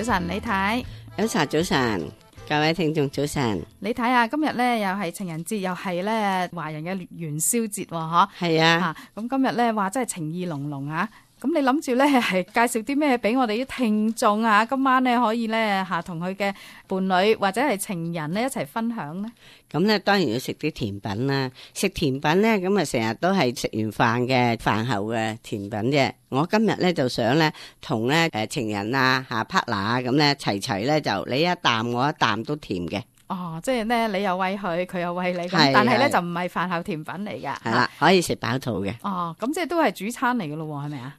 晨，李太。早晨，各位聽眾早晨。李太啊，今日咧又係情人節，又係咧華人嘅元宵節喎，嗬。係啊。咁今日咧話真係情意濃濃啊！咁你諗住咧係介紹啲咩俾我哋啲聽眾啊？今晚咧可以咧同佢嘅伴侶或者係情人咧一齊分享咧。咁咧當然要食啲甜品啦。食甜品咧咁啊成日都係食完飯嘅飯後嘅甜品啫。我今日咧就想咧同咧情人啊partner 啊咁咧齊咧就你一啖我一啖都甜嘅。哦，即係咧你又餵佢，佢又餵你咁，但係咧就唔係飯後甜品嚟噶。係啦，可以食飽肚嘅。哦，咁即係都係主餐嚟嘅咯，係咪啊？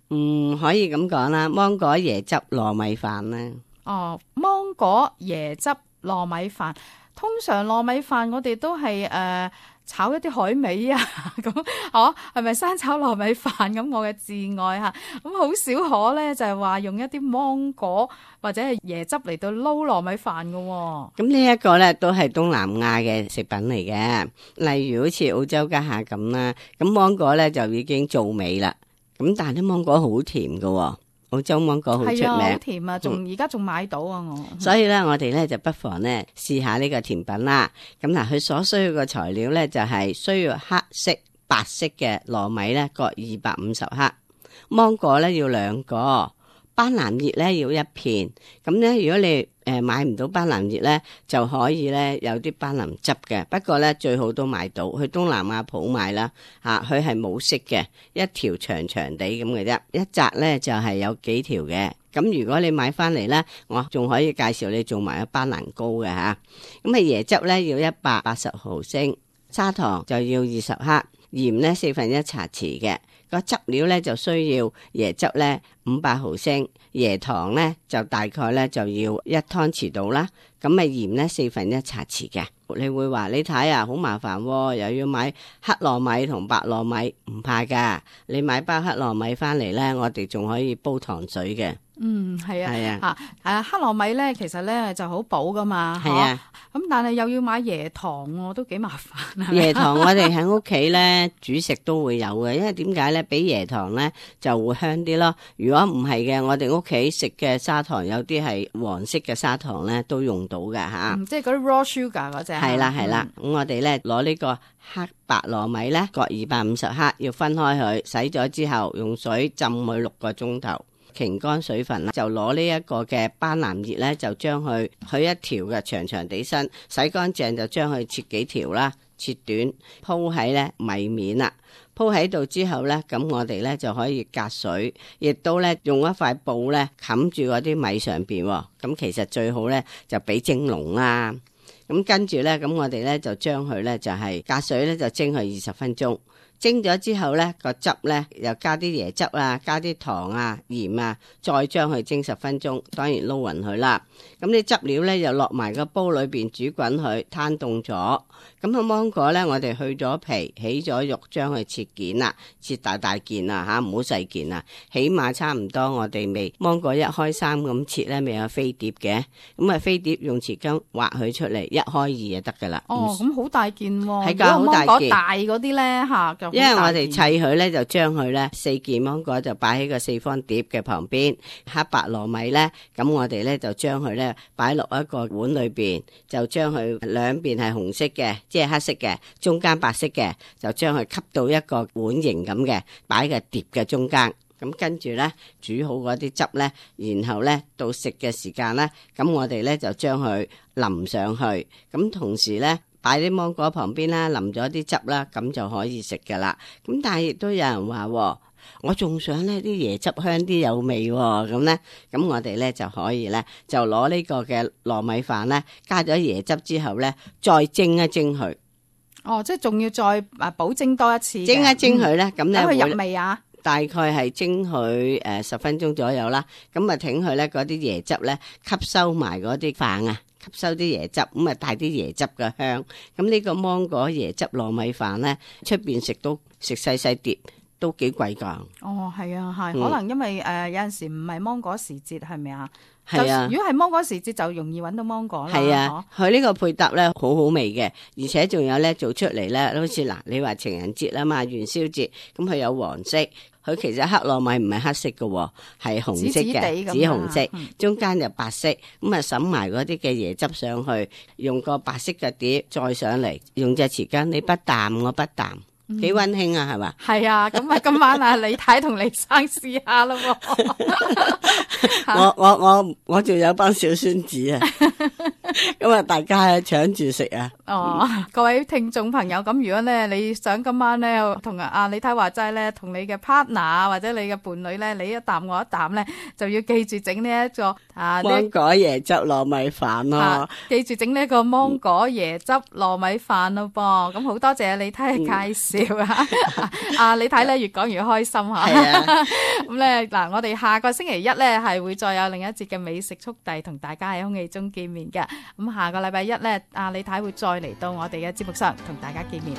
可以咁講啦，芒果椰汁糯米飯啦。哦，芒果椰汁糯米飯，通常糯米飯我哋都係炒一啲海味啊，咁係咪生炒糯米飯咁？我嘅至愛嚇，咁好少可咧就係話用一啲芒果或者係椰汁嚟到撈糯米飯嘅喎。咁呢一個咧都係東南亞嘅食品嚟嘅，例如好似澳洲家下咁啦，咁芒果咧就已經做味啦，咁但係啲芒果好甜㗎喎。澳洲芒果好出名，係啊，好甜啊，而家仲買到啊我。所以咧，我哋咧就不妨咧試下呢個甜品啦。咁嗱，佢所需要嘅材料咧就係需要黑色、白色嘅糯米咧各250克，芒果咧要2個，班蘭葉咧要1片。咁咧，如果你買唔到班蘭葉咧，就可以咧有啲班蘭汁嘅。不過咧最好都買到，去東南亞鋪買啦。佢係冇色嘅，一條長長地咁嘅啫，一紮咧就係有幾條嘅。咁如果你買翻嚟咧，我仲可以介紹你做埋一班蘭糕嘅吓。咁椰汁咧要180毫升，砂糖就要20克，鹽咧1/4茶匙嘅。個汁料咧就需要椰汁咧500毫升，椰糖咧就大概咧就要1湯匙到啦。咁咪鹽咧1/4茶匙嘅。你會話你睇啊，好麻煩喎，又要買黑糯米同白糯米，唔怕噶，你買包黑糯米翻嚟咧，我哋仲可以煲糖水嘅。係啊，係啊，黑糯米咧，其實咧就好補噶嘛，係啊，咁但係又要買椰糖喎，都幾麻煩。椰糖我哋喺屋企咧煮食都會有嘅，因為點解咧？俾椰糖咧就會香啲咯。如果唔係嘅，我哋屋企食嘅砂糖有啲係黃色嘅砂糖咧，都用到嘅吓。即係嗰啲 raw sugar 嗰隻。係啦係啦，咁我哋咧攞呢個黑白糯米咧各250克，要分開佢，洗咗之後用水浸佢6個鐘頭。擎乾水分啦，就攞呢一個嘅班蘭葉咧，就將佢一條嘅長長地身，洗乾淨就將佢切幾條啦，切短，鋪喺咧米面啦，鋪喺度之後咧，咁我哋咧就可以隔水，亦都咧用一塊布咧冚住嗰啲米上邊，咁其實最好咧就俾蒸籠啦，咁跟住咧，咁我哋咧就將佢咧就係隔水咧就蒸佢20分鐘。蒸咗之後咧，個汁咧又加啲椰汁啊，加啲糖啊、鹽啊，再將佢蒸10分鐘，當然撈勻佢啦。咁啲汁料咧又落埋個煲裏邊煮滾佢，攤凍咗。咁個芒果咧，我哋去咗皮，起咗肉，將佢切件啦，切大件啊吓，唔好細件啊，起碼差唔多我哋未芒果1開3咁切咧，未有飛碟嘅，咁啊飛碟用匙羹劃佢出嚟，1開2就得噶啦。哦，咁好大件喎，係噶，好大件。大嗰啲咧吓，因為我哋砌佢咧，就將佢咧4件芒果就擺喺個4方碟嘅旁邊，黑白糯米咧，咁我哋咧就將佢咧擺落一個碗裏邊，就將佢兩邊係紅色嘅，即係黑色嘅，中間白色嘅，就將佢吸到一個碗形咁嘅，擺喺碟嘅中間。咁跟住咧煮好嗰啲汁咧，然後咧到食嘅時間咧，咁我哋咧就將佢淋上去，咁同時咧擺啲芒果旁邊啦，淋咗啲汁啦，咁就可以食噶啦。咁但係亦都有人話，我仲想呢啲椰汁香啲有味喎，咁咧，咁我哋咧就可以咧就攞呢個嘅糯米飯咧，加咗椰汁之後咧，再蒸一蒸佢。哦，即係仲要再補蒸多一次。蒸一蒸佢咧，咁咧等佢入味啊。大概係蒸佢10分鐘左右啦，咁啊挺佢咧嗰啲椰汁咧吸收埋嗰啲飯啊，吸收啲椰汁，咁啊帶啲椰汁嘅香。咁呢個芒果椰汁糯米飯咧，出邊食到食細細碟，都幾貴㗎。哦，係啊，係，嗯可能因為有陣時唔係芒果時節，係咪啊？係啊就如果係芒果時節，就容易揾到芒果啦。係啊，佢呢個配搭咧好好味嘅，而且仲有咧做出嚟咧，好似嗱，你話情人節啊嘛，元宵節，咁佢有黃色，佢其實黑糯米唔係黑色嘅，係紅色嘅，紫紫地咁紫紅色，嗯中間就白色，咁啊滲埋嗰啲嘅椰汁上去，用個白色嘅碟再上嚟，用隻匙羹，你不啖我不啖，幾溫馨啊，係嘛？係啊，咁啊，今晚啊，李太同李生試下咯喎。我仲有班小孫子啊，咁啊大家搶住食啊！哦，各位聽眾朋友，咁如果咧你想今晚咧同阿李太話齋咧，同你嘅 partner 或者你嘅伴侶咧，你一啖我一啖咧，就要記住整呢一個芒果椰汁糯米飯咯，記住整呢一個芒果椰汁糯米飯咯噃。咁好多謝李太嘅介紹啊！李太咧越講越開心嚇。係啊，咁咧嗱，我哋下個星期一咧係會再有另一節嘅美食速遞同大家喺空氣中見面嘅。咁下個禮拜一咧，阿李太會再嚟到我哋嘅節目上同大家見面。